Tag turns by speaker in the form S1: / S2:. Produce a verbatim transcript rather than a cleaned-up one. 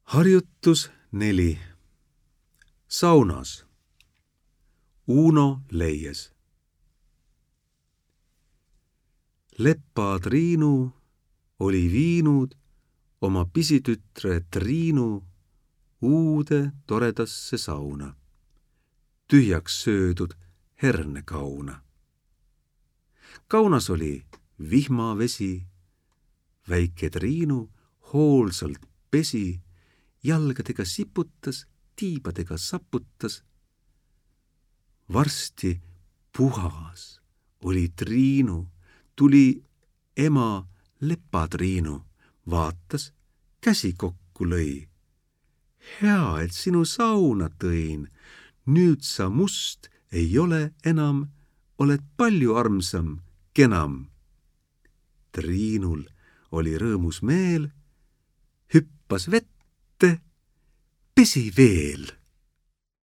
S1: Harjutus neli. Saunas. Uno leies. Leppa Triinu oli viinud oma pisitütre Triinu uude toredasse sauna, tühjaks söödud hernekauna. Kaunas oli vihmavesi, väike Triinu hoolsalt pesi, jalgadega siputas, tiibadega saputas. Varsti puhas oli Triinu, tuli ema Leppa Triinu, vaatas, käsi kokku lõi. Hea, et sinu sauna tõin, nüüd sa must ei ole enam, oled palju armsam, kenam. Triinul oli rõõmus meel, hüppas vette, pesi veel.